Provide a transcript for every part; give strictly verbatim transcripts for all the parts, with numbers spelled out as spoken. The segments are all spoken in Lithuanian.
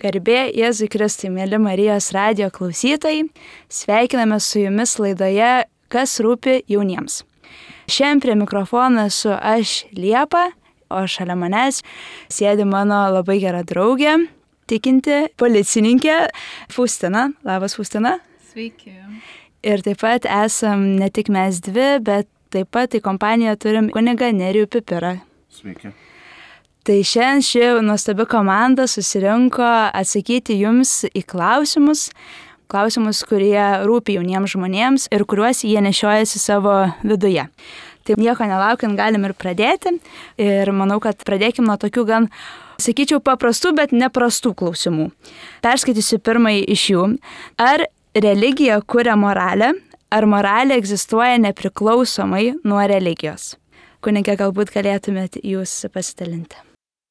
Garbė Jėzui Kristui, mėly Marijos radijo klausytojai, sveikiname su jumis laidoje Kas rūpi jauniems. Šiandien prie mikrofono esu aš Liepa, o šalia manęs sėdi mano labai gera draugė, tikinti policininkė Faustina. Labas, Faustina. Sveiki. Ir taip pat esam ne tik mes dvi, bet taip pat į kompaniją turim kunigą Nerijų Pipirą. Sveiki. Tai šiandien ši nuostabi komanda susirinko atsakyti jums į klausimus, klausimus, kurie rūpi jauniems žmonėms ir kuriuos jie nešiojasi savo viduje. Tai nieko nelaukiant galim ir pradėti. Ir manau, kad pradėkim nuo tokių gan, sakyčiau, paprastų, bet neprastų klausimų. Perskaitysiu pirmąjį iš jų. Ar religija kuria moralę, ar moralė egzistuoja nepriklausomai nuo religijos? Kunige, galbūt galėtumėte jūs pasidalinti.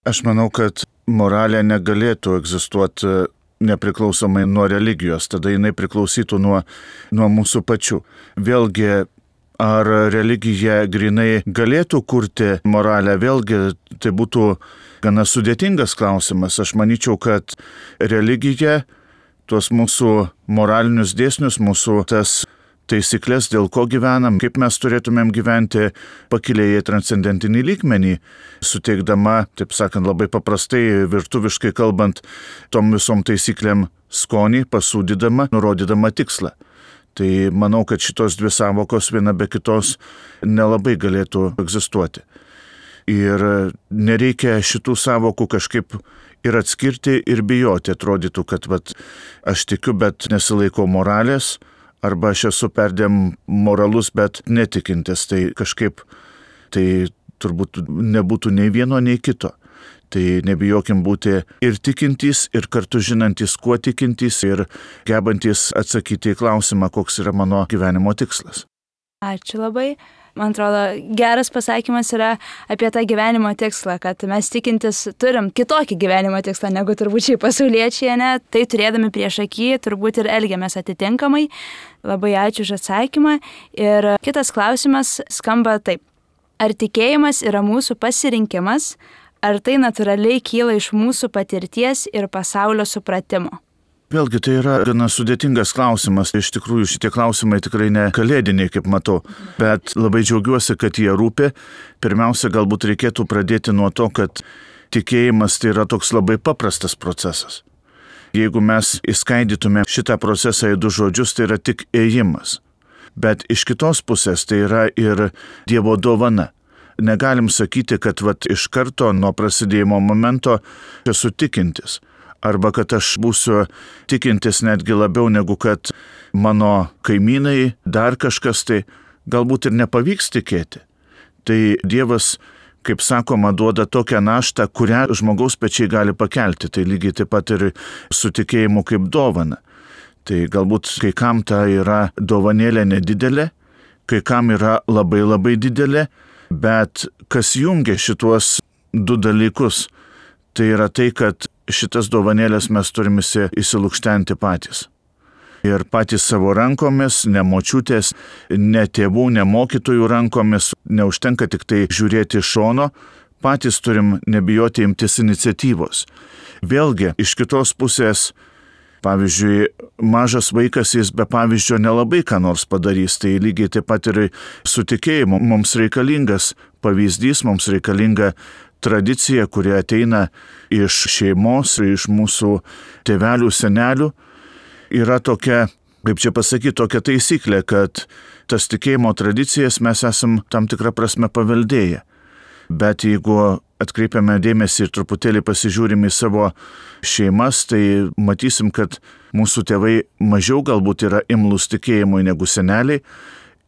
Aš manau, kad moralė negalėtų egzistuoti nepriklausomai nuo religijos, tada jinai priklausytų nuo, nuo mūsų pačių. Vėlgi, ar religija grinai galėtų kurti moralę, vėlgi tai būtų gana sudėtingas klausimas. Aš manyčiau, kad religija tuos mūsų moralinius dėsnius, mūsų tas taisyklės, dėl ko gyvenam, kaip mes turėtumėm gyventi, pakilėja į transcendentinį lygmenį, suteikdama, taip sakant, labai paprastai, virtuviškai kalbant, tom visom taisyklėm skonį, pasūdydama, nurodydama tikslą. Tai manau, kad šitos dvi savokos viena be kitos nelabai galėtų egzistuoti. Ir nereikia šitų savokų kažkaip ir atskirti, ir bijoti. Atrodytų, kad vat, aš tikiu, bet nesilaikau moralės, arba aš esu perdėm moralus, bet netikintis, tai kažkaip tai turbūt nebūtų nei vieno, nei kito. Tai nebijokim būti ir tikintys, ir kartu žinantys, kuo tikintys, ir gebantys atsakyti į klausimą, koks yra mano gyvenimo tikslas. Ačiū labai. Man atrodo, geras pasakymas yra apie tą gyvenimo tikslą, kad mes tikintis turim kitokį gyvenimo tikslą negu turbūt šiai pasauliečiai, ne? Tai turėdami prieš akį turbūt ir elgiamės atitinkamai. Labai ačiū už atsakymą. Ir kitas klausimas skamba taip. Ar tikėjimas yra mūsų pasirinkimas, ar tai natūraliai kyla iš mūsų patirties ir pasaulio supratimo? Vėlgi, tai yra gana sudėtingas klausimas. Iš tikrųjų, šitie klausimai tikrai ne kalėdiniai, kaip matau, bet labai džiaugiuosi, kad jie rūpi. Pirmiausia, galbūt reikėtų pradėti nuo to, kad tikėjimas tai yra toks labai paprastas procesas. Jeigu mes įskaidytume šitą procesą į du žodžius, tai yra tik ėjimas. Bet iš kitos pusės tai yra ir Dievo dovana. Negalim sakyti, kad vat, iš karto nuo prasidėjimo momento esu tikintis. Arba kad aš būsiu tikintis netgi labiau negu kad mano kaimynai, dar kažkas, tai galbūt ir nepavyks tikėti. Tai Dievas, kaip sakoma, duoda tokią naštą, kurią žmogaus pečiai gali pakelti. Tai lygiai taip pat ir su tikėjimu kaip dovana. Tai galbūt kai kam ta yra dovanėlė nedidelė, kai kam yra labai labai didelė, bet kas jungia šituos du dalykus, tai yra tai, kad šitas dovanėlės mes turime įsilukštenti patys. Ir patys savo rankomis, ne močiutės, ne tėvų, ne mokytojų rankomis, neužtenka tik tai žiūrėti iš šono, patys turim nebijoti imtis iniciatyvos. Vėlgi, iš kitos pusės, pavyzdžiui, mažas vaikas, jis be pavyzdžio nelabai ką nors padarys, tai lygiai taip pat ir su tikėjimu. Mums reikalingas pavyzdys, mums reikalinga tradicija, kuri ateina iš šeimos, iš mūsų tėvelių, senelių, yra tokia, kaip čia pasakyti, tokia taisyklė, kad tas tikėjimo tradicijas mes esam tam tikrą prasme paveldėję. Bet jeigu atkreipiame dėmesį ir truputėlį pasižiūrim į savo šeimas, tai matysim, kad mūsų tėvai mažiau galbūt yra imlūs tikėjimui negu seneliai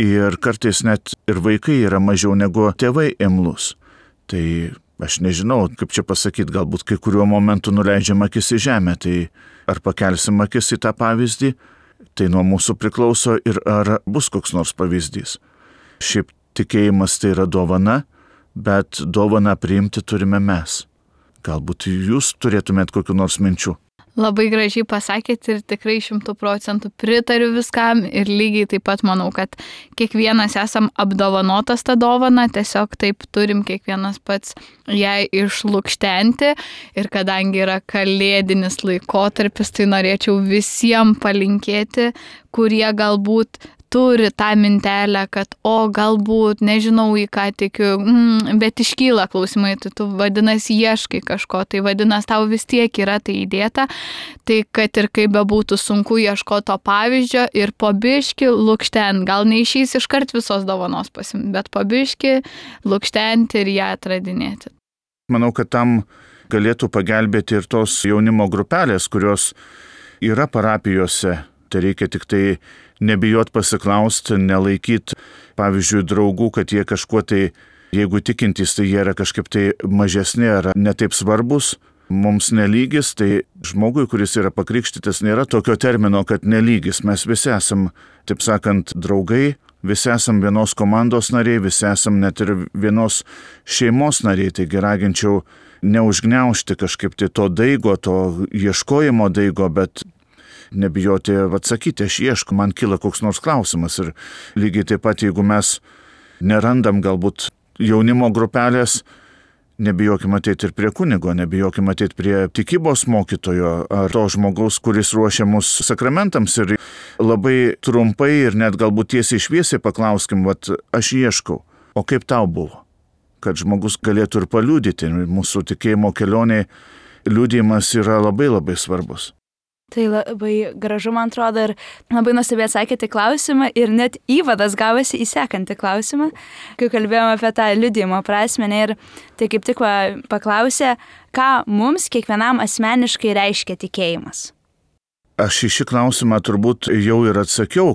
ir kartais net ir vaikai yra mažiau negu tėvai imlūs. Tai aš nežinau, kaip čia pasakyti, galbūt kai kuriuo momentu nuleidžiam akis į žemę, tai ar pakelsim akis į tą pavyzdį, tai nuo mūsų priklauso ir ar bus koks nors pavyzdys. Šiaip tikėjimas tai yra dovana, bet dovaną priimti turime mes. Galbūt jūs turėtumėt kokių nors minčių. Labai gražiai pasakėt ir tikrai šimtų procentų pritariu viskam ir lygiai taip pat manau, kad kiekvienas esam apdovanotas tą dovaną, tiesiog taip turim kiekvienas pats ją išlukštenti ir kadangi yra kalėdinis laikotarpis, tai norėčiau visiems palinkėti, kurie galbūt turi tą mintelę, kad o galbūt, nežinau į ką tikiu, mm, bet iškyla klausimai, tu, tu vadinasi ieškai kažko, tai vadinasi tau vis tiek yra tai įdėta, tai kad ir kaip bebūtų sunku ieškoti to pavyzdžio ir po biškį lukštent, gal neišeis iškart visos dovanos pasimti, bet po biškį lukštenti ir ją atradinėti. Manau, kad tam galėtų pagelbėti ir tos jaunimo grupelės, kurios yra parapijose. Tai reikia tik tai nebijot pasiklausti, nelaikyt, pavyzdžiui, draugų, kad jie kažkuo tai, jeigu tikintys, tai jie yra kažkaip tai mažesni ar netaip svarbus, mums nelygis, tai žmogui, kuris yra pakrikštytas, nėra tokio termino, kad nelygis. Mes visi esam, taip sakant, draugai, visi esam vienos komandos nariai, visi esam net ir vienos šeimos nariai, taigi raginčiau neužgniaužti kažkaip tai to daigo, to ieškojimo daigo, bet nebijoti atsakyti, aš iešku, man kyla koks nors klausimas ir lygiai taip pat, jeigu mes nerandam galbūt jaunimo grupelės, nebijokime ateiti ir prie kunigo, nebijokime ateiti prie tikybos mokytojo ar to žmogaus, kuris ruošia mus sakramentams ir labai trumpai ir net galbūt tiesiai šviesiai paklauskim, vat aš ieškau, o kaip tau buvo, kad žmogus galėtų ir paliudyti, mūsų tikėjimo kelionėje liudijimas yra labai labai svarbus. Tai labai gražu, man atrodo, ir labai nuostabiai atsakėte klausimą ir net įvadas gavosi į sekantį klausimą, kai kalbėjome apie tą liudijimo prasmę ir tai kaip tik paklausė, ką mums kiekvienam asmeniškai reiškia tikėjimas. Aš į šį klausimą turbūt jau ir atsakiau.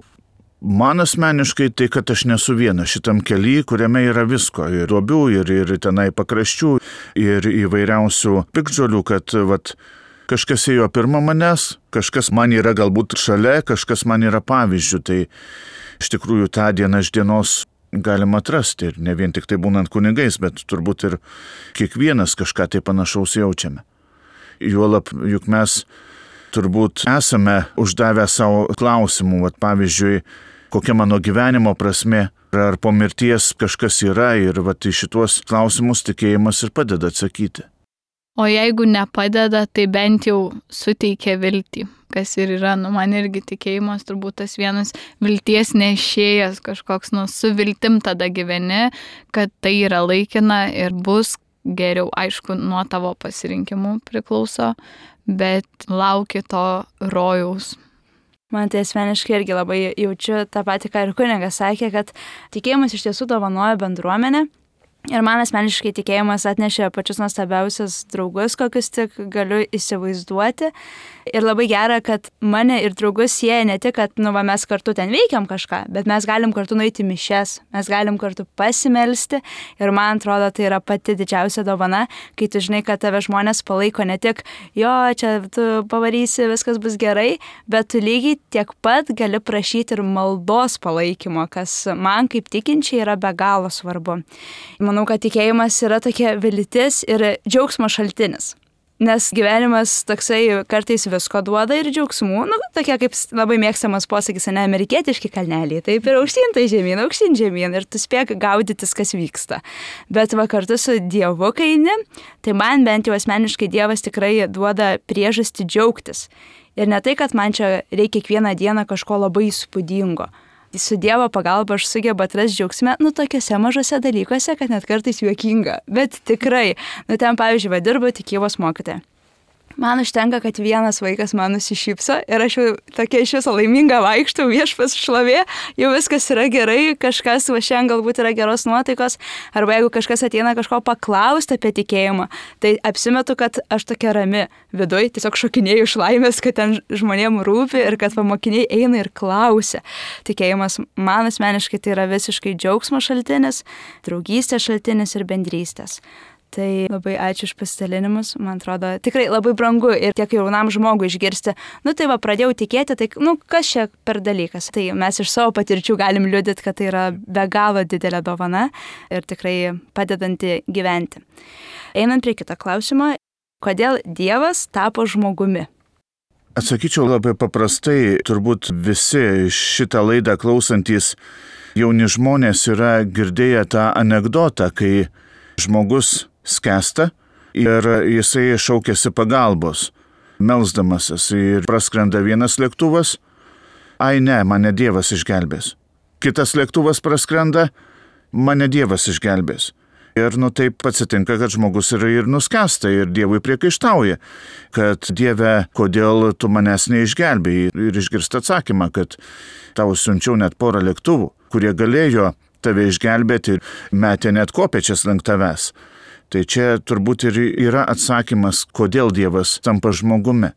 Man asmeniškai tai, kad aš nesu vienas šitam kely, kuriame yra visko, ir duobių, ir, ir tenai pakraščių, ir įvairiausių piktžolių, kad vat, kažkas ėjo pirma manęs, kažkas man yra galbūt šalia, kažkas man yra pavyzdžių. Tai iš tikrųjų tą dieną iš dienos galima atrasti. Ir ne vien tik tai būnant kunigais, bet turbūt ir kiekvienas kažką tai panašaus jaučiame. Juolab, juk mes turbūt esame uždavę savo klausimų. Vat, pavyzdžiui, kokia mano gyvenimo prasmė, ar po mirties kažkas yra. Ir vat, į šituos klausimus tikėjimas ir padeda atsakyti. O jeigu nepadeda, tai bent jau suteikia viltį, kas ir yra, nu, man irgi tikėjimas turbūt tas vienas vilties nešėjas kažkoks, nu, su viltim tada gyveni, kad tai yra laikina ir bus geriau, aišku, nuo tavo pasirinkimų priklauso, bet lauki to rojaus. Man tai asmeniškai irgi labai jaučiu tą patį, ką ir kunigas sakė, kad tikėjimas iš tiesų dovanoja bendruomenę. Ir man asmeniškai tikėjimas atnešė pačius nuostabiausius draugus, kokius tik galiu įsivaizduoti. Ir labai gera, kad mane ir draugus sieja ne tik, kad nu, va, mes kartu ten veikiam kažką, bet mes galim kartu nueiti mišias, mes galim kartu pasimelsti. Ir man atrodo, tai yra pati didžiausia dovana, kai tu žinai, kad tave žmonės palaiko ne tik, jo, čia tu pavarysi, viskas bus gerai, bet tu lygiai tiek pat gali prašyti ir maldos palaikymo, kas man kaip tikinčiai yra be galo svarbu. Manau, kad tikėjimas yra tokia viltis ir džiaugsmo šaltinis. Nes gyvenimas toksai kartais visko duoda ir džiaugsmų, nu, tokie kaip labai mėgstamas posakis, ne, amerikietiški kalneliai, taip ir aukštyn tai žemyn, aukštyn žemyn ir tu spėk gaudytis, kas vyksta. Bet va kartu su Dievu, kai eini, tai man bent jau asmeniškai Dievas tikrai duoda priežastį džiaugtis. Ir ne tai, kad man čia reikia kiekvieną dieną kažko labai įspūdingo. Su Dievo pagalba aš sugebu atrasti džiaugsmę, nu, tokiuose mažose dalykuose, kad net kartais juokinga. Bet tikrai, nu, ten, pavyzdžiui, va, dirbu tikybos mokytoja. Man užtenka, kad vienas vaikas man nusišypso ir aš jau tokia iš viso laiminga vaikštau, viešpas šlovė, jau viskas yra gerai, kažkas va šiandien galbūt yra geros nuotaikos, arba jeigu kažkas ateina kažko paklausti apie tikėjimą, tai apsimetu, kad aš tokia rami viduj, tiesiog šokinėjau iš laimės, kad ten žmonėm rūpi ir kad mokiniai eina ir klausia. Tikėjimas man asmeniškai tai yra visiškai džiaugsmo šaltinis, draugystės šaltinis ir bendrystės. Tai labai ačiū už pasidalinimus, man atrodo, tikrai labai brangu ir tiek jaunam žmogui išgirsti, nu tai va, pradėjau tikėti, tai nu kas čia per dalykas. Tai mes iš savo patirčių galim liudyti, kad tai yra be galo didelė dovana ir tikrai padedanti gyventi. Einant prie kito klausimo, kodėl Dievas tapo žmogumi? Atsakyčiau labai paprastai, turbūt visi šitą laidą klausantis jauni žmonės yra girdėję tą anekdotą, kai žmogus skęsta ir jisai šaukėsi pagalbos, melsdamasis, ir praskrenda vienas lėktuvas, ai ne, mane Dievas išgelbės. Kitas lėktuvas praskrenda, mane Dievas išgelbės. Ir nu taip atsitinka, kad žmogus yra ir nuskęsta ir Dievui priekaištauja, kad Dieve, kodėl tu manęs neišgelbėjai, ir išgirsta atsakymą, kad tau siunčiau net porą lėktuvų, kurie galėjo tave išgelbėti ir metė net kopėčias link tavęs. Tai čia turbūt ir yra atsakymas, kodėl Dievas tampa žmogumi.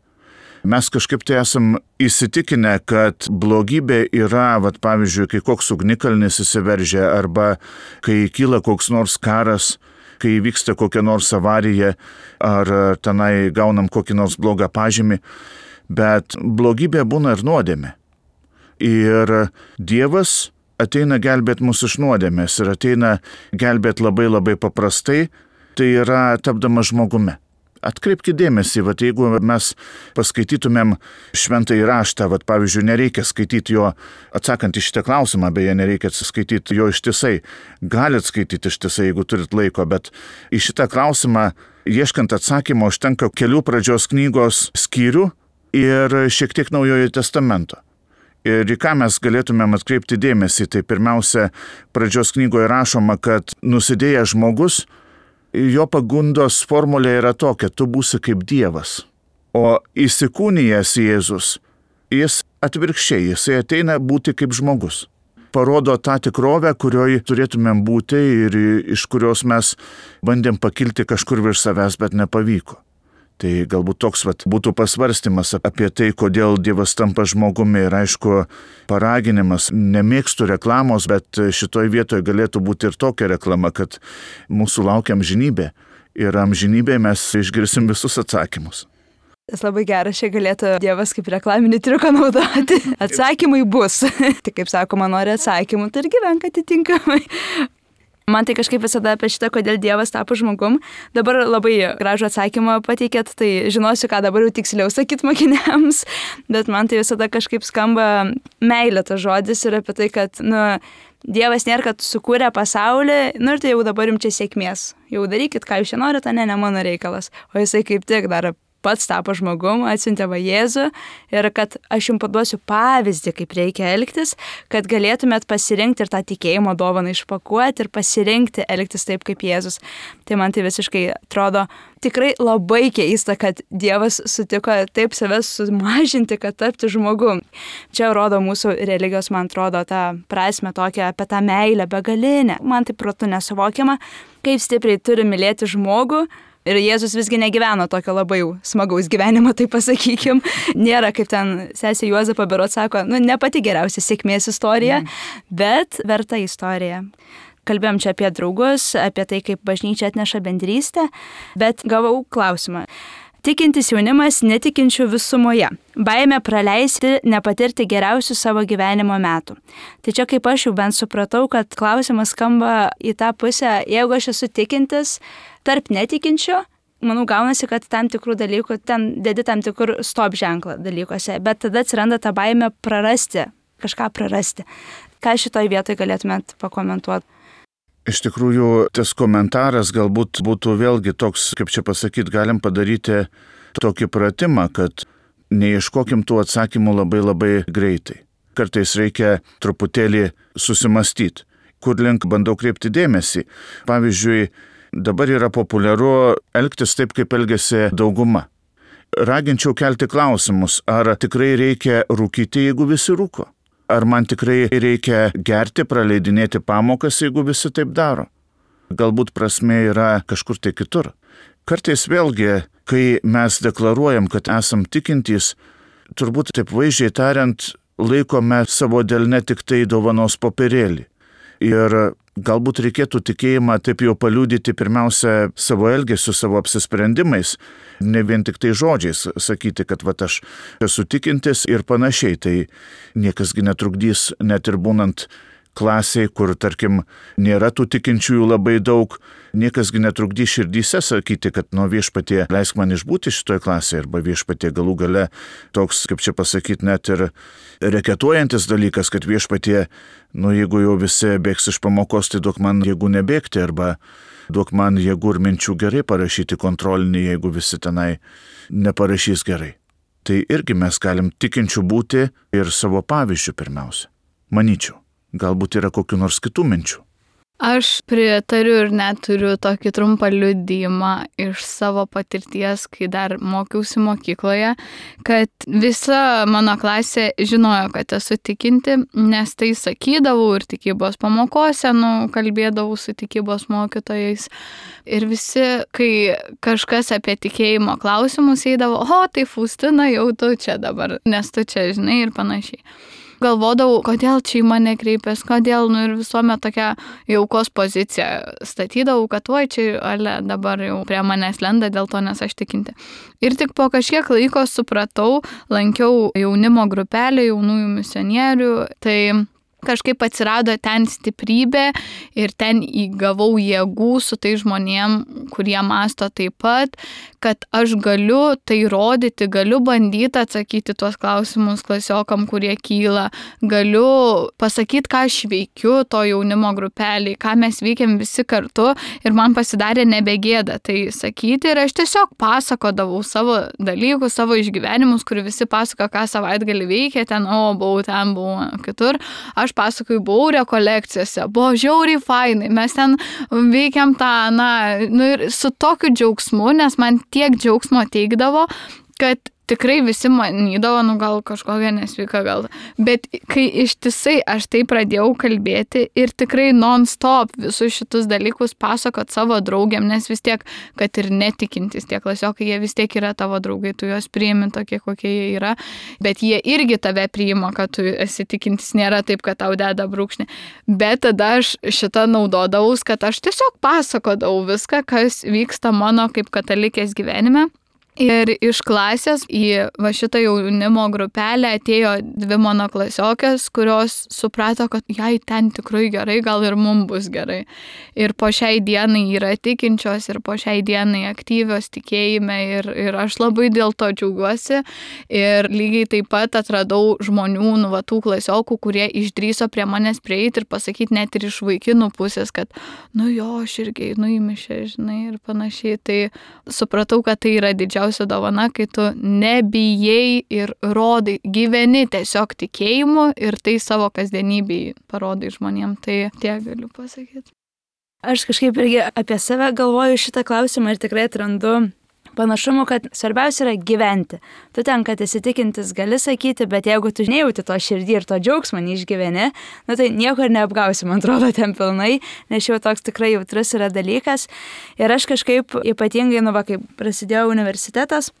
Mes kažkaip tai esam įsitikinę, kad blogybė yra, vat, pavyzdžiui, kai koks ugnikalnis įsiveržia, arba kai kyla koks nors karas, kai vyksta kokia nors avarija, ar tenai gaunam kokį nors blogą pažymį, bet blogybė būna ir nuodėmė. Ir Dievas ateina gelbėt mus iš nuodėmės ir ateina gelbėt labai labai paprastai, tai yra tapdamas žmogumi. Atkreipkite dėmesį, vat, jeigu mes paskaitytumėm šventąjį raštą, vat, pavyzdžiui, nereikia skaityti jo, atsakant į šitą klausimą, beje, nereikia skaityti jo ištisai. Galit skaityti ištisai, jeigu turit laiko, bet į šitą klausimą, ieškant atsakymo, užtenka kelių pradžios knygos skyrių ir šiek tiek Naujojo testamento. Ir į ką mes galėtumėm atkreipti dėmesį, tai pirmiausia, pradžios knygoje rašoma, kad nusidėjęs žmogus, jo pagundos formulė yra tokia, tu būsi kaip Dievas. O įsikūnijęs Jėzus, jis atvirkščiai, jisai ateina būti kaip žmogus. Parodo tą tikrovę, kurioje turėtumėm būti ir iš kurios mes bandėm pakilti kažkur virš savęs, bet nepavyko. Tai galbūt toks vat, būtų pasvarstymas apie tai, kodėl Dievas tampa žmogumi, ir aišku, paraginimas. Nemėgstu reklamos, bet šitoj vietoje galėtų būti ir tokia reklama, kad mūsų laukia amžinybė ir amžinybėje mes išgirsim visus atsakymus. Tas labai geras, čia galėtų Dievas kaip reklaminį triuką naudoti. Atsakymai bus. Tai kaip sakoma, nori atsakymų, tai ir gyvenk atitinkamai. Man tai kažkaip visada apie šitą, kodėl Dievas tapo žmogum. Dabar labai gražų atsakymą pateikėt, tai žinosiu, ką dabar jau tiksliau sakyt mokiniams, bet man tai visada kažkaip skamba meilė tas žodis ir apie tai, kad, nu, Dievas nėra, kad sukūrė pasaulį, nu ir tai jau dabar jums čia sėkmės. Jau darykit, ką jūs čia norite, ne, ne mano reikalas. O jisai kaip tik dar pats tapo žmogum, atsiuntė va Jėzų ir kad aš jums paduosiu pavyzdį, kaip reikia elgtis, kad galėtumėt pasirinkti ir tą tikėjimo dovaną išpakuoti ir pasirinkti elgtis taip kaip Jėzus. Tai man tai visiškai atrodo tikrai labai keista, kad Dievas sutiko taip save sumažinti, kad tapti žmogum. Čia rodo mūsų religijos, man atrodo, tą prasme tokią apie tą meilę begalinę. Man tai protu nesuvokiama, kaip stipriai turi mylėti žmogų. Ir Jėzus visgi negyveno tokio labai jau smagaus gyvenimo, tai pasakykim. Nėra, kaip ten sesė Juozapo berot sako, nu, ne pati geriausia sėkmės istorija, mm. bet verta istorija. Kalbėjom čia apie draugus, apie tai, kaip bažnyčia atneša bendrystę, bet gavau klausimą. Tikintis jaunimas netikinčių visumoje. Baimė praleisti, nepatirti geriausių savo gyvenimo metų. Tai čia kaip aš jau bent supratau, kad klausimas skamba į tą pusę, jeigu aš esu tikintis, tarp netikinčių, manau, gaunasi, kad tam tikrų dalykų, ten dedi tam tikrų stop ženklą dalykuose, bet tada atsiranda ta baimė prarasti, kažką prarasti. Ką šitoj vietoj galėtumėt pakomentuoti? Iš tikrųjų, tas komentaras galbūt būtų vėlgi toks, kaip čia pasakyti, galim padaryti tokį pratimą, kad neieškokim tų atsakymų labai labai greitai. Kartais reikia truputėlį susimastyti, kur link bandau kreipti dėmesį. Pavyzdžiui, dabar yra populiaru elgtis taip, kaip elgiasi dauguma. Raginčiau kelti klausimus, ar tikrai reikia rūkyti, jeigu visi rūko? Ar man tikrai reikia gerti, praleidinėti pamokas, jeigu visi taip daro? Galbūt prasmė yra kažkur tai kitur. Kartais vėlgi, kai mes deklaruojam, kad esam tikintys, turbūt taip vaizdžiai tariant, laikome savo delne tik tai dovanos popierėlį. Ir galbūt reikėtų tikėjimą taip jau paliudyti pirmiausia savo elgesiu, savo apsisprendimais, ne vien tik tai žodžiais sakyti, kad vat aš esu tikintis ir panašiai. Tai niekasgi netrukdys, net ir būnant klasiai, kur, tarkim, nėra tų tikinčiųjų labai daug, Niekasgi netrukdys širdyse sakyti, kad nuo Viešpatie leisk man išbūti šitoje klasėje, arba Viešpatie galų gale toks, kaip čia pasakyti, net ir reketuojantis dalykas, kad Viešpatie, nu jeigu jau visi bėgs iš pamokos, tai duok man jėgų nebėgti, arba duok man jėgų ir minčių gerai parašyti kontrolinį, jeigu visi tenai neparašys gerai. Tai irgi mes galim tikinčių būti ir savo pavyzdžių pirmiausia. Manyčiau, galbūt yra kokių nors kitų minčių. Aš pritariu ir net turiu tokį trumpą liudijimą iš savo patirties, kai dar mokiausi mokykloje, kad visa mano klasė žinojo, kad esu tikinti, nes tai sakydavau ir tikybos pamokose, nu, kalbėdavau su tikybos mokytojais. Ir visi, kai kažkas apie tikėjimo klausimus eidavo, o, tai Faustina, jau tu čia dabar, nes tu čia žinai ir panašiai. Galvodavau, kodėl čia į mane kreipės, kodėl, nu ir visuomet tokia jaukos pozicija statydavau, kad oi čia, ale, dabar jau prie manęs lenda dėl to, nes aš tikinti. Ir tik po kažkiek laiko supratau, lankiau jaunimo grupelę jaunųjų misionierių, tai kažkaip atsirado ten stiprybė ir ten įgavau jėgų su tai žmonėm, kurie masto taip pat, kad aš galiu tai rodyti, galiu bandyti atsakyti tuos klausimus klasiokam, kurie kyla, galiu pasakyti, ką aš veikiu to jaunimo grupeliai, ką mes veikiam visi kartu ir man pasidarė nebegėda tai sakyti ir aš tiesiog pasakodavau savo dalykus, savo išgyvenimus, kur visi pasako, ką savaitgalį veikia, ten, o, buvau ten, buvau kitur. Aš pasakoju, buvau rekolekcijose, buvo žiauriai fainai, mes ten veikiam tą, na, nu ir su tokiu džiaugsmu, nes man tiek džiaugsmo teikdavo, kad tikrai visi manydavo, nu gal kažkokia nesveika gal, bet kai ištisai aš tai pradėjau kalbėti ir tikrai non-stop visus šitus dalykus pasakot savo draugiam, nes vis tiek, kad ir netikintis tie klasiokai, jie vis tiek yra tavo draugai, tu juos priimi tokie, kokie jie yra, bet jie irgi tave priima, kad tu esi tikintis, nėra taip, kad tau deda brūkšnį, bet tada aš šitą naudodavaus, kad aš tiesiog pasakodavau viską, kas vyksta mano kaip katalikės gyvenime. Ir iš klasės į va šitą jaunimo grupelę atėjo dvi mano klasiokės, kurios suprato, kad jai ten tikrai gerai, gal ir mums bus gerai. Ir po šiai dienai yra tikinčios ir po šiai dienai aktyvios tikėjime ir, ir aš labai dėl to džiaugiuosi. Ir lygiai taip pat atradau žmonių, nu, va, tų klasiokų, kurie išdryso prie manęs prieiti ir pasakyti net ir iš vaikinų pusės, kad nu jo, aš irgi einu į mišią, žinai, ir panašiai. Tai supratau, kad tai yra didžiausia dovana, kai tu nebijai ir rodai, gyveni tiesiog tikėjimu ir tai savo kasdienybėj parodai žmonėm. Tai tiek galiu pasakyti. Aš kažkaip irgi apie save galvoju šitą klausimą ir tikrai atrandu panašumų, kad svarbiausia yra gyventi. Tu ten, kad esi tikintis, gali sakyti, bet jeigu tu nejauti to širdį ir to džiaugsmą neišgyveni, nu tai nieko ir neapgausi, man atrodo, ten pilnai, nes jau toks tikrai jautrus yra dalykas. Ir aš kažkaip ypatingai, nu va, kai prasidėjo universitetas,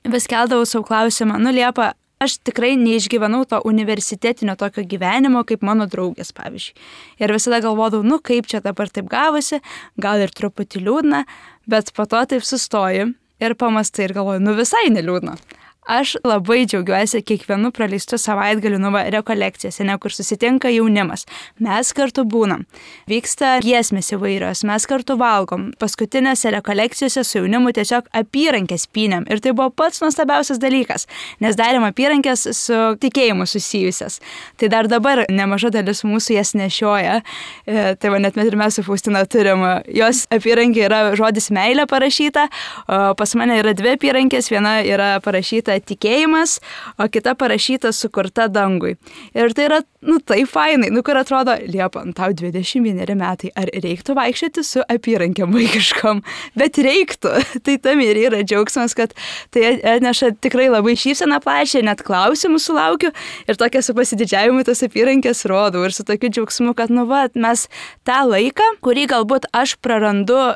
vis keldavau savo klausimą, nu Liepa, aš tikrai neišgyvenau to universitetinio tokio gyvenimo kaip mano draugės, pavyzdžiui. Ir visada galvodavau, nu kaip čia dabar taip gavosi, gal ir truputį liūdna, bet po to taip sustoju ir pamastai ir galvoju, nu visai neliūdna. Aš labai džiaugiuosi kiekvienu praleistu savaitgaliu, nu va, rekolekcijose, ne, kur susitinka jaunimas. Mes kartu būnam. Vyksta giesmės įvairios, mes kartu valgom. Paskutinėse rekolekcijose su jaunimu tiesiog apyrankės pynėm. Ir tai buvo pats nuostabiausias dalykas, nes darėm apyrankės su tikėjimu susijusias. Tai dar dabar nemaža dalis mūsų jas nešioja. E, tai va, net ir mes su Faustina turim. Jos apyrankė yra žodis meilė parašyta, o pas mane yra dvi apyrankės, viena yra parašyta tikėjimas, o kita parašyta sukurta dangui. Ir tai yra, nu, tai fainai, nu, kur atrodo, Liepa, tau dvidešimt vieneri metai, ar reiktų vaikščioti su apyrankėm vaikiškom? Bet reiktų. Tai tam ir yra džiaugsmas, kad tai atneša tikrai labai šypseną plačią, net klausimų sulaukiu ir tokia su pasididžiavimu tas apyrankės rodau ir su tokiu džiaugsmu, kad, nu, va, mes tą laiką, kurį galbūt aš prarandu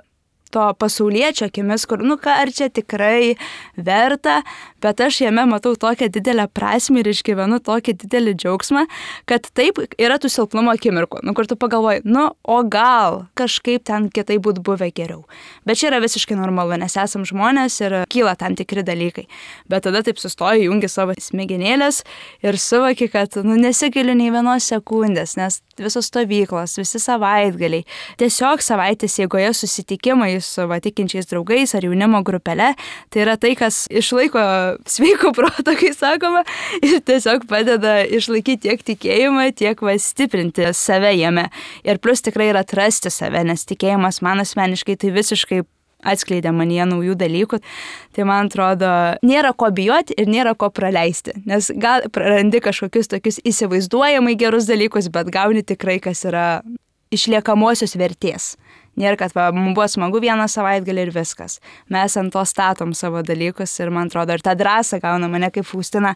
to pasauliečio akimis, kur, nu ką, ar čia tikrai verta, bet aš jame matau tokią didelę prasmę ir išgyvenu tokį didelį džiaugsmą, kad taip yra tų silpnumo akimirkų, nu kur tu pagalvoji, nu o gal kažkaip ten kitaip būtų buvę geriau. Bet čia yra visiškai normalu, nes esam žmonės ir kyla tam tikri dalykai. Bet tada taip sustoji, jungi savo smegenėlės ir suvoki, kad nu, nesigiliu nei vienos sekundės, nes visos stovyklos, visi savaitgaliai, tiesiog savaitės jėgoje susitikimai su va, tikinčiais draugais ar jaunimo grupele, tai yra tai, kas išlaiko sveiko proto, kai sakoma, ir tiesiog padeda išlaikyti tiek tikėjimą, tiek va, stiprinti save jame. Ir plus tikrai yra atrasti save, nes tikėjimas man asmeniškai tai visiškai atskleidė manyje naujų dalykų. Tai man atrodo, nėra ko bijoti ir nėra ko praleisti, nes gal prarandi kažkokius tokius įsivaizduojamai gerus dalykus, bet gauni tikrai, kas yra išliekamosios vertės. Nėra, kad va, mums buvo smagu vieną savaitgalį ir viskas. Mes ant to statom savo dalykus ir man atrodo, ir tą drąsą gauna mane kaip Faustina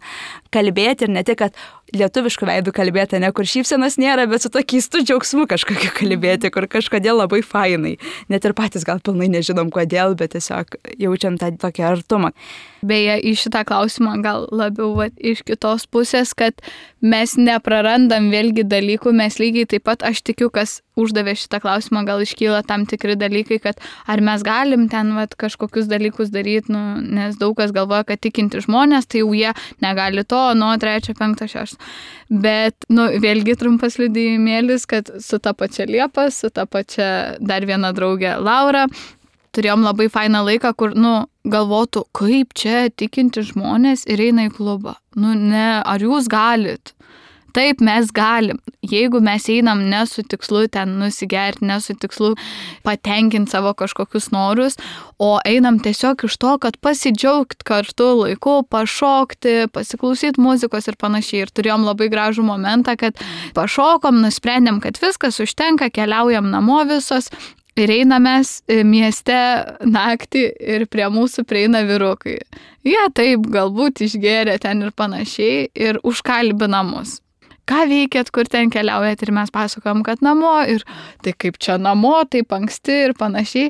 kalbėti ir ne tik, kad lietuviškų veidų kalbėti, ne kur šypsenos nėra, bet su to keistu džiaugsmu kažkokiu kalbėti, kur kažkodėl labai fainai. Net ir patys gal pilnai nežinom kodėl, bet tiesiog jaučiam tą tokį artumą. Beje, į šitą klausimą gal labiau va, iš kitos pusės, kad mes neprarandam vėlgi dalykų, mes lygiai taip pat, aš tikiu, kas uždavė šitą klausimą, gal iškyla tam tikri dalykai, kad ar mes galim ten va, kažkokius dalykus daryti, nu, nes daug kas galvoja, kad tikinti žmonės, tai jau jie negali to, nuo trečio, penkto, šešto. Bet, nu, vėlgi trumpas liudijimėlis, kad su ta pačia Liepa, su ta pačia dar viena draugė Laura, turėjom labai fainą laiką, kur, nu, galvotų, kaip čia tikinti žmonės ir eina į klubą. Nu, ne, ar jūs galit? Taip, mes galim. Jeigu mes einam ne su tikslu ten nusigerti, ne su tikslu patenkinti savo kažkokius norus, o einam tiesiog iš to, kad pasidžiaugt kartu laiku, pašokti, pasiklausyti muzikos ir panašiai. Ir turėjom labai gražų momentą, kad pašokom, nusprendėm, kad viskas užtenka, keliaujam namo visos. Ir einamės mieste naktį ir prie mūsų prieina vyrukai. Jie taip galbūt išgėrė ten ir panašiai ir užkalbina mus. Ką veikėt, kur ten keliaujat ir mes pasakojom, kad namo ir tai kaip čia namo, taip anksti ir panašiai.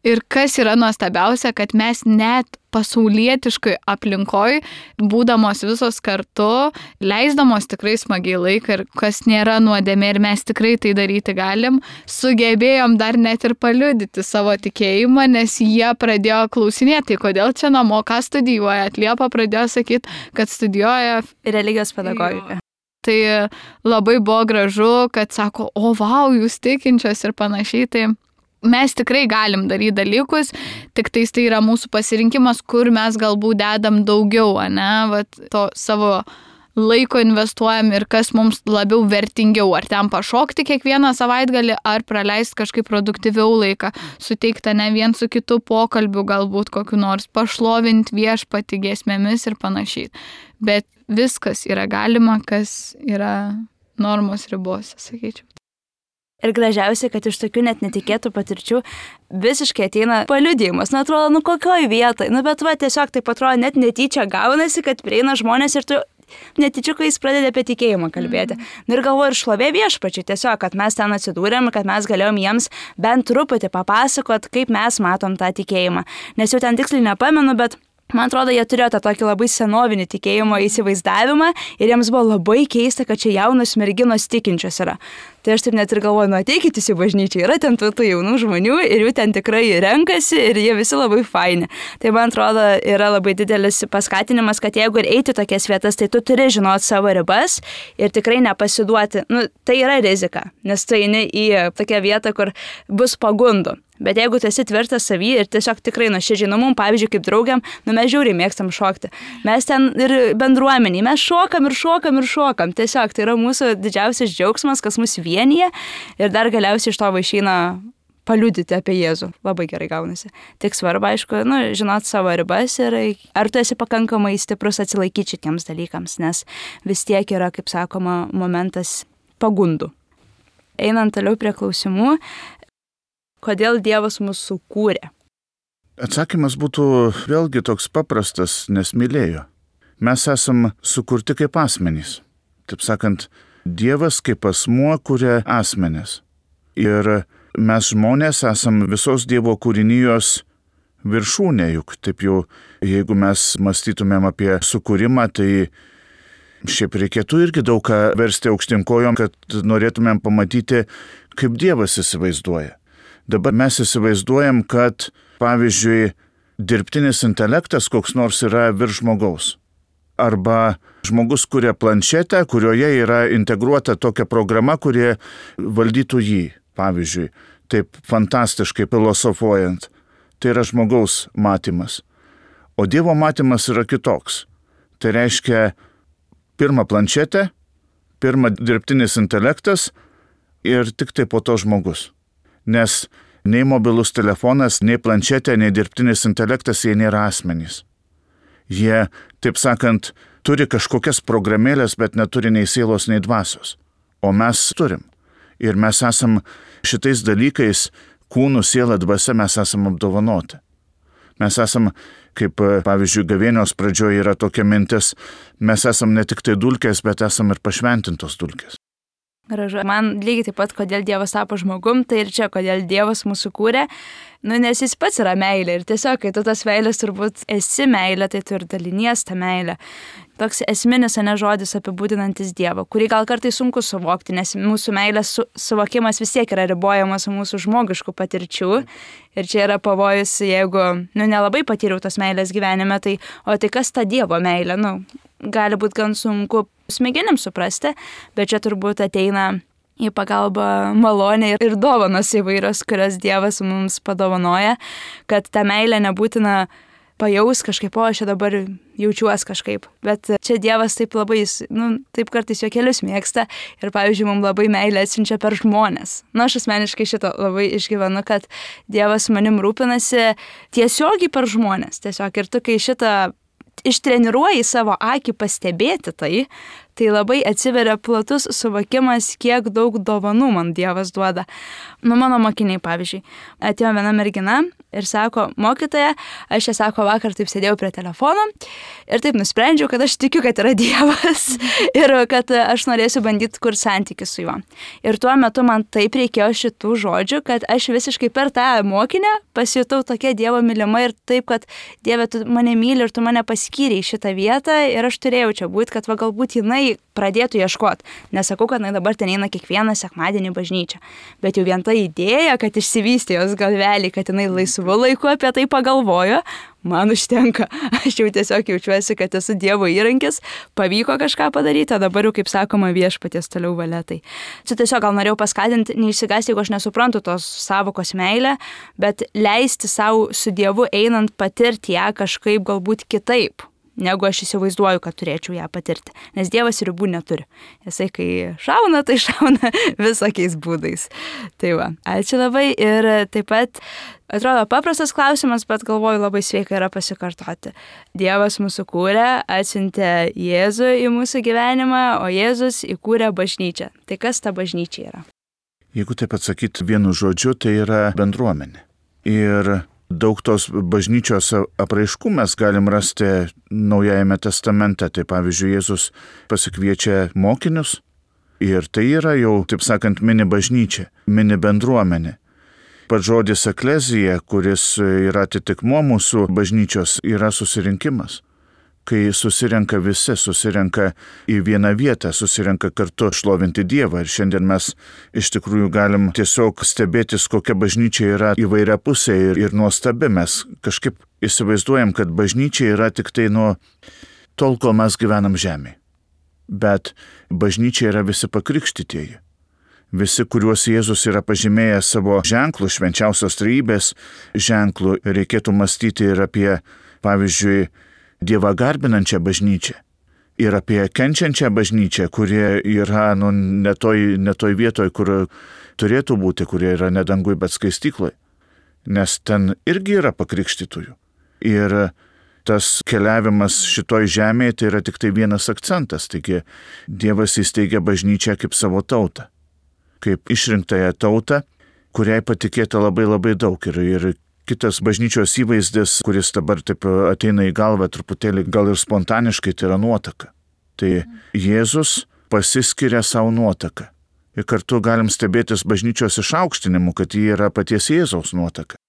Ir kas yra nuostabiausia, kad mes net pasaulietiškai aplinkoj, būdamos visos kartu, leisdamos tikrai smagiai laiką ir kas nėra nuodėmė ir mes tikrai tai daryti galim, sugebėjom dar net ir paliudyti savo tikėjimą, nes jie pradėjo klausinėti, kodėl čia namo, ką studijuoja. Liepa pradėjo sakyti, kad studijuoja religijos pedagogiką. Tai labai buvo gražu, kad sako, o vau, jūs tikinčios ir panašiai, tai mes tikrai galim daryti dalykus, tik tais tai yra mūsų pasirinkimas, kur mes galbūt dedam daugiau, ne, vat, to savo laiko investuojam ir kas mums labiau vertingiau, ar ten pašokti kiekvieną savaitgalį, ar praleisti kažkaip produktyviau laiką, suteikti ne vien su kitu pokalbiu, galbūt kokiu nors pašlovinti viešpatį giesmėmis ir panašiai. Bet viskas yra galima, kas yra normos ribose, sakyčiau. Ir gražiausia, kad iš tokių net netikėtų patirčių visiškai ateina paliudijimas. Nu, atrodo, nu kokioj vietoj. Nu, bet va, tiesiog taip atrodo, net netyčia gaunasi, kad prieina žmonės ir tu netyčiukais pradedi apie tikėjimą kalbėti. Mm. Nu, ir galvoju, ir šlovė viešpačiui tiesiog, kad mes ten atsidūrėm, kad mes galėjom jiems bent truputį papasakot, kaip mes matom tą tikėjimą. Nes jau ten tiksliai nepamenu, bet man atrodo, jie turėjo tą tokį labai senovinį tikėjimo įsivaizdavimą ir jiems buvo labai keista, kad čia jaunos merginos tikinčios yra. Tai aš taip net ir galvoju, nu ateikitės į bažnyčią, yra ten tų, tų jaunų žmonių ir jų ten tikrai renkasi ir jie visi labai faini. Tai man atrodo, yra labai didelis paskatinimas, kad jeigu ir eiti tokias vietas, tai tu turi žinoti savo ribas ir tikrai nepasiduoti. Nu, tai yra rizika, nes tu eini į tokią vietą, kur bus pagundų. Bet jeigu tu esi tvirtas savy ir tiesiog tikrai nuoširdžiai, nu mum, pavyzdžiui, kaip draugiam, nu mes žiauriai mėgstam šokti. Mes ten ir bendruomeniai, mes šokam ir šokam ir šokam. Tiesiog tai yra mūsų didžiausias džiaugsmas, kas mus vienyje ir dar galiausiai iš to išeina paliudyti apie Jėzų. Labai gerai gaunasi. Tik svarbu, aišku, nu, žinot savo ribas ir ar tu esi pakankamai stiprus atsilaikyti šitiems dalykams, nes vis tiek yra, kaip sakoma, momentas pagundų. Einant toliau prie klausimų, kodėl Dievas mus sukūrė? Atsakymas būtų vėlgi toks paprastas, nes mylėjo. Mes esam sukurti kaip asmenys. Taip sakant, Dievas kaip asmuo kuria asmenis. Ir mes žmonės esam visos Dievo kūrinijos viršūnė, juk taip jau, jeigu mes mąstytumėm apie sukūrimą, tai šiaip reikėtų irgi daug ką versti aukštyn kojom, kad norėtumėm pamatyti, kaip Dievas įsivaizduoja. Dabar mes įsivaizduojam, kad, pavyzdžiui, dirbtinis intelektas koks nors yra virš žmogaus. Arba žmogus kuria planšetę, kurioje yra integruota tokia programa, kurie valdytų jį, pavyzdžiui, taip fantastiškai filosofuojant. Tai yra žmogaus matymas. O Dievo matymas yra kitoks. Tai reiškia pirma planšetė, pirma dirbtinis intelektas ir tik tai po to žmogus. Nes nei mobilus telefonas, nei planšetė, nei dirbtinis intelektas, jie nėra asmenys. Jie, taip sakant, turi kažkokias programėlės, bet neturi nei sielos, nei dvasios. O mes turim. Ir mes esam šitais dalykais, kūnų, siela, dvasia, mes esam apdovanoti. Mes esam, kaip pavyzdžiui, gavėnios pradžioje yra tokia mintis, mes esam ne tik tai dulkės, bet esam ir pašventintos dulkės. Gražu. Man lygiai taip pat, kodėl Dievas tapo žmogum, tai ir čia, kodėl Dievas mūsų kūrė, nu, nes jis pats yra meilė ir tiesiog, kai tu tas meilės turbūt esi meilė, tai tu ir dalinies tą meilę. Toks esminis, ne žodis apibūdinantis Dievą, kurį gal kartais sunku suvokti, nes mūsų meilės su, suvokimas vis tiek yra ribojamas mūsų žmogiškų patirčių ir čia yra pavojus, jeigu, nu, nelabai patyriau tos meilės gyvenime, tai, o tai kas ta Dievo meilė, nu, gali būti gan sunku smegenim suprasti, bet čia turbūt ateina į pagalbą malonė ir dovanos įvairios, kurias Dievas mums padovanoja, kad tą meilę nebūtina pajaus kažkaip, o aš dabar jaučiuos kažkaip. Bet čia Dievas taip labai, nu, taip kartais juokelius mėgsta ir, pavyzdžiui, mums labai meilę atsiunčia per žmonės. Na, aš asmeniškai šito labai išgyvenu, kad Dievas manim rūpinasi tiesiogiai per žmonės. Tiesiog ir tu, kai šitą ištreniruoji savo akį pastebėti tai, tai labai atsiveria platus suvokimas, kiek daug dovanų man Dievas duoda. Nu, mano mokiniai, pavyzdžiui, atėjo viena mergina ir sako, mokytoja, aš čia sako, vakar taip sėdėjau prie telefono ir taip nusprendžiau, kad aš tikiu, kad yra Dievas ir kad aš norėsiu bandyti kurti santykių su juo. Ir tuo metu man taip reikėjo šitų žodžių, kad aš visiškai per tą mokinę pasijutau tokia Dievo mylima ir taip, kad Dieve, tu mane myli ir tu mane paskyrei šitą vietą ir aš turėjau čia būti, kad va, galbūt jinai pradėtų ieškoti. Nesakau, kad jinai dabar ten eina kiekvieną sekmadienį bažnyčią, bet jau vien ta idėja, kad išsivystė jos galvelį, kad jinai laisvu laiku apie tai pagalvojo, man užtenka. Aš jau tiesiog jaučiuosi, kad esu Dievo įrankis, pavyko kažką padaryti, o dabar jau, kaip sakoma, viešpaties toliau valia. Tai čia tiesiog gal norėjau paskatinti, neišsigąsti, jeigu aš nesuprantu tos savokos meilę, bet leisti savo su Dievu einant patirti ją kažkaip galbūt kitaip, negu aš įsivaizduoju, kad turėčiau ją patirti. Nes Dievas ribų neturi. Jisai, kai šauna, tai šauna visokiais būdais. Tai va, ačiū labai ir taip pat atrodo paprastas klausimas, bet galvoju labai sveika yra pasikartoti. Dievas mūsų kūrė, atsiuntė Jėzų į mūsų gyvenimą, o Jėzus įkūrė bažnyčią. Tai kas ta bažnyčia yra? Jeigu taip atsakyti vienu žodžiu, tai yra bendruomenė. Ir daug tos bažnyčios apraiškų mes galim rasti Naujajame testamente. Tai pavyzdžiui, Jėzus pasikviečia mokinius ir tai yra jau, taip sakant, mini bažnyčia, mini bendruomenė. Pats žodis eklezija, kuris yra atitikmuo mūsų bažnyčios, yra susirinkimas. Kai susirenka visi, susirenka į vieną vietą, susirenka kartu šlovinti Dievą. Ir šiandien mes iš tikrųjų galim tiesiog stebėtis, kokia bažnyčia yra įvairia pusė ir, ir nuostabi. Mes kažkaip įsivaizduojam, kad bažnyčia yra tik tai nuo tol, kol mes gyvenam žemėje. Bet bažnyčia yra visi pakrikštytieji. Visi, kuriuos Jėzus yra pažymėjęs savo ženklų, švenčiausios trejybės ženklų, reikėtų mąstyti ir apie, pavyzdžiui, Dievą garbinančią bažnyčią ir apie kenčiančią bažnyčią, kurie yra nu, ne toj, ne toj vietoj, kur turėtų būti, kurie yra ne dangui, bet skaistykloje. Nes ten irgi yra pakrikštytųjų. Ir tas keliavimas šitoj žemėje tai yra tik tai vienas akcentas. Taigi Dievas įsteigia bažnyčią kaip savo tautą, kaip išrinktąją tautą, kuriai patikėta labai labai daug. Ir, ir kitas bažnyčios įvaizdis, kuris dabar taip ateina į galvą truputėlį gal ir spontaniškai, tai yra nuotaka. Tai Jėzus pasiskiria savo nuotaką. ir kartu galim stebėtis bažnyčios išaukštinimu, kad ji yra paties Jėzaus nuotaka.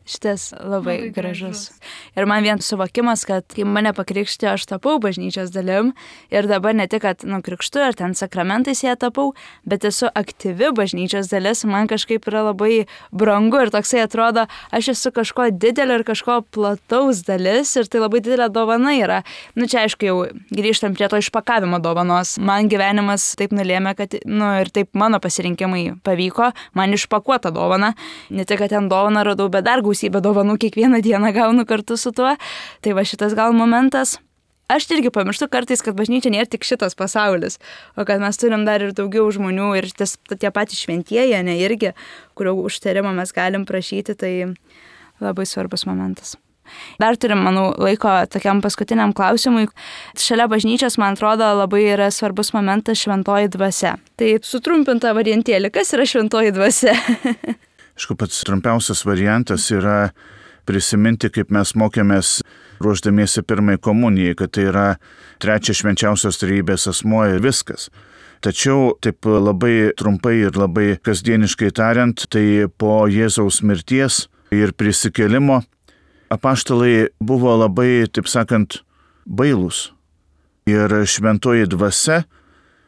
Šitas labai, labai gražus. gražus. Ir man vien suvokimas, kad kai mane pakrikštė, aš tapau bažnyčios dalim ir dabar ne tik, kad nu, krikštu ar ten sakramentais ją tapau, bet esu aktyvi bažnyčios dalis, man kažkaip yra labai brangu ir toksai atrodo, aš esu kažko didelio ir kažko plataus dalis ir tai labai didelė dovana yra. Nu čia aišku jau grįžtam prie to išpakavimo dovanos. Man gyvenimas taip nulėmė, kad nu, ir taip mano pasirinkimai pavyko, man išpakuota dovana. Ne tik, kad ten dovana radau, bet dar gausybę dovanų kiekvieną dieną gaunu kartu su tuo. Tai va šitas gal momentas. Aš irgi pamirštu kartais, kad bažnyčia nėra tik šitas pasaulis, o kad mes turim dar ir daugiau žmonių ir ties, tie patys šventieji, ne irgi, kurio užtarimo mes galim prašyti, tai labai svarbus momentas. Dar turim, manau, laiko tokiam paskutiniam klausimui. Šalia bažnyčios, man atrodo, labai yra svarbus momentas šventoji dvasia. Tai sutrumpinta variantėlė, kas yra šventoji dvasia? Aišku, pats trumpiausias variantas yra prisiminti, kaip mes mokėmės ruošdamiesi pirmai komunijai, kad tai yra trečias švenčiausios trejybės asmuo ir viskas. Tačiau taip labai trumpai ir labai kasdieniškai tariant, tai po Jėzaus mirties ir prisikėlimo apaštalai buvo labai, taip sakant, bailūs. Ir šventoji dvasia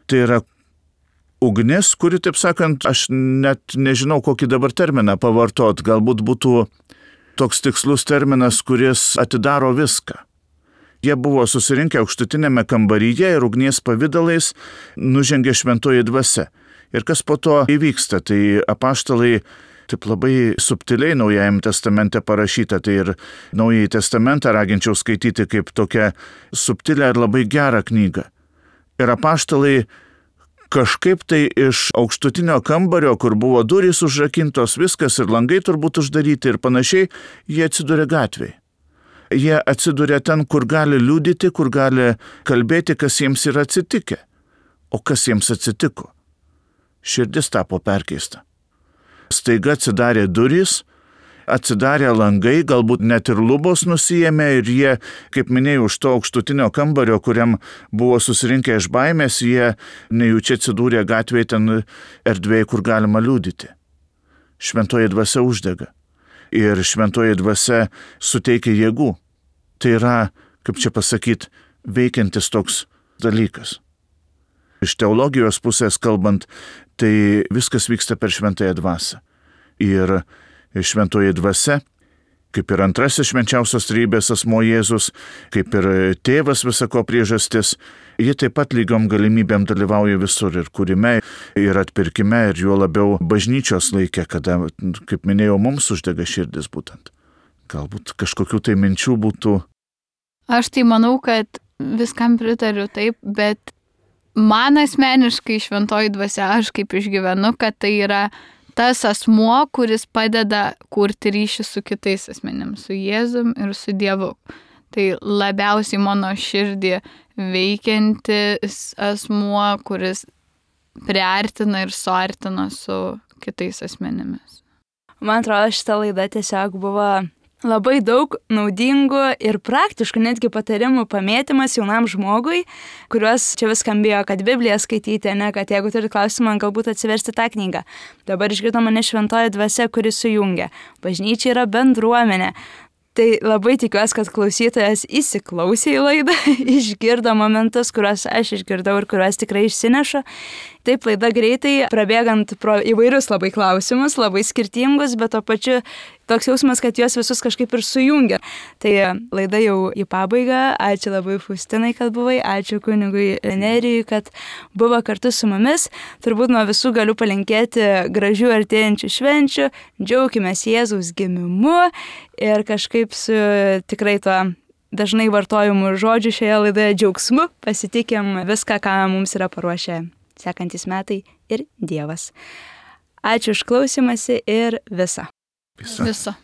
tai yra ugnis, kuri, taip sakant, aš net nežinau, kokį dabar terminą pavartot, galbūt būtų toks tikslus terminas, kuris atidaro viską. Jie buvo susirinkę aukštutinėme kambaryje ir ugnies pavidalais nužengė šventoji dvasia. Ir kas po to įvyksta, tai apaštalai taip labai subtiliai Naujajame testamente parašyta, tai ir Naująjį testamentą raginčiau skaityti kaip tokią subtilę ir labai gerą knygą. Ir apaštalai kažkaip tai iš aukštutinio kambario, kur buvo durys užrakintos, viskas ir langai turbūt uždaryti ir panašiai, jie atsiduria gatvėje. Jie atsiduria ten, kur gali liudyti, kur gali kalbėti, kas jiems yra atsitikę. O kas jiems atsitiko? Širdis tapo perkeista. Staiga atsidarė durys, atsidarė langai, galbūt net ir lubos nusijėmė ir jie, kaip minėjau, už to aukštutinio kambario, kuriam buvo susirinkę iš baimės, jie nejučia atsidūrė gatvėje ten erdvėje, kur galima liudyti. Šventoji dvasia uždega ir šventoji dvasia suteikia jėgų. Tai yra, kaip čia pasakyti, veikiantis toks dalykas. Iš teologijos pusės kalbant, tai viskas vyksta per šventąją dvasią. Ir šventoji dvasia, kaip ir antrasis švenčiausios trejybės asmuo Jėzus, kaip ir tėvas visako priežastis, ji taip pat lygiom galimybėm dalyvauja visur ir kūrime, ir atpirkime, ir juo labiau bažnyčios laike, kada, kaip minėjau, mums uždega širdis būtent. Galbūt kažkokių tai minčių būtų. Aš tai manau, kad viskam pritariu taip, bet man asmeniškai šventoji dvasia, aš kaip išgyvenu, kad tai yra tas asmuo, kuris padeda kurti ryšį su kitais asmenims, su Jėzum ir su Dievu. Tai labiausiai mano širdį veikiantis asmuo, kuris priartina ir suartina su kitais asmenimis. Man atrodo, šita laida tiesiog buvo labai daug naudingų ir praktiškų netgi patarimų pamėtymas jaunam žmogui, kuriuos čia vis skambėjo, kad Bibliją skaityti, ne, kad jeigu turi klausimą, galbūt atsiversti tą knygą. Dabar išgirdo mane šventoji dvasia, kuri sujungia. Bažnyčia yra bendruomenė. Tai labai tikiuosi, kad klausytojas įsiklausė į laidą, išgirdo momentus, kuriuos aš išgirdau ir kuriuos tikrai išsinešu. Taip, laida greitai, prabėgant pro įvairius labai klausimus, labai skirtingus, bet to pačiu toks jausmas, kad juos visus kažkaip ir sujungia. Tai laida jau į pabaigą. Ačiū labai Faustinai, kad buvai, ačiū kunigui Nerijui, kad buvo kartu su mumis. Turbūt nuo visų galiu palinkėti gražių artėjančių švenčių, džiaukimės Jėzaus gimimu ir kažkaip su tikrai tuo dažnai vartojimų žodžių šioje laidoje džiaugsmu pasitikim viską, ką mums yra paruošę sekantis metai ir Dievas. Ačiū už klausimąsi ir visa. Visa. Visa.